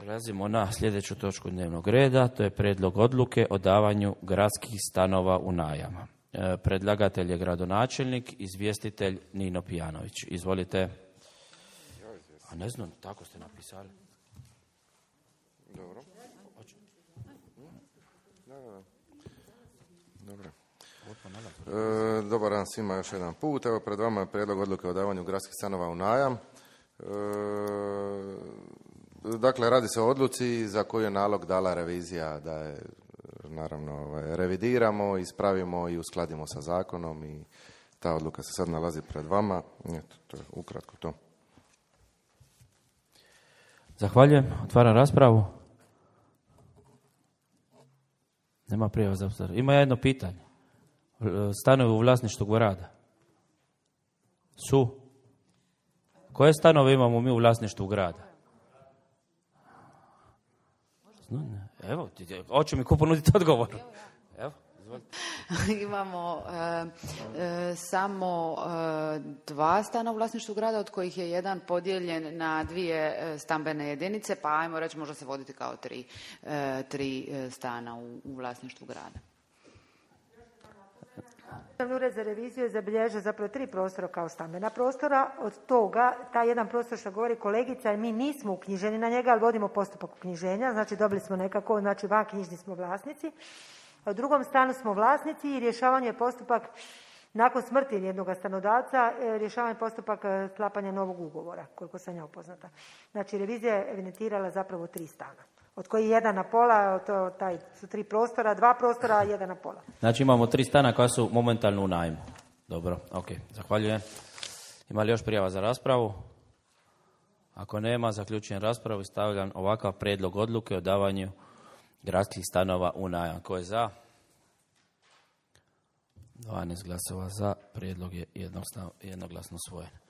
Prelazimo na sljedeću točku dnevnog reda, to je prijedlog odluke o davanju gradskih stanova u najam. Predlagatelj je gradonačelnik, izvjestitelj Nino Pijanović. Izvolite. A ne znam, tako ste napisali. Dobro. Dobro. Dobar dan svima još jedan put. Evo pred vama je prijedlog odluke o davanju gradskih stanova u najam. Dakle, radi se o odluci za koju je nalog dala revizija da je, naravno, revidiramo, ispravimo i uskladimo sa zakonom i ta odluka se sad nalazi pred vama. Eto, to je ukratko to. Zahvaljujem. Otvaram raspravu. Nema prijava za obzir. Ima jedno pitanje. Stanovi u vlasništvu grada su? Koje stanove imamo mi u vlasništvu grada? Evo, hoće mi ko ponuditi odgovor. Evo, izvolite. Imamo samo 2 stana u vlasništvu grada, od kojih je jedan podijeljen na 2 stambene jedinice, pa ajmo reći može se voditi kao 3 stana u vlasništvu grada. Državni ured za reviziju je zabilježio zapravo 3 prostora kao stambena prostora. Od toga, taj jedan prostor što govori kolegica, mi nismo uknjiženi na njega, ali vodimo postupak uknjiženja, znači dobili smo nekako, znači vanknjižni smo vlasnici. A u drugom stanu smo vlasnici i rješavanje je postupak nakon smrti jednog stanodavca, rješavanje postupak sklapanja novog ugovora, koliko sam ja upoznata. Znači revizija je evidentirala zapravo 3 stana, od kojih 1 na pola, taj su 3 prostora, 2 prostora, 1 na pola. Znači imamo 3 stana koja su momentalno u najmu. Dobro, ok, zahvaljujem. Ima li još prijava za raspravu? Ako nema, zaključujem raspravu i stavljam ovakav prijedlog odluke o davanju gradskih stanova u najam. Ko je za? 12 glasova za, prijedlog je jednoglasno usvojen.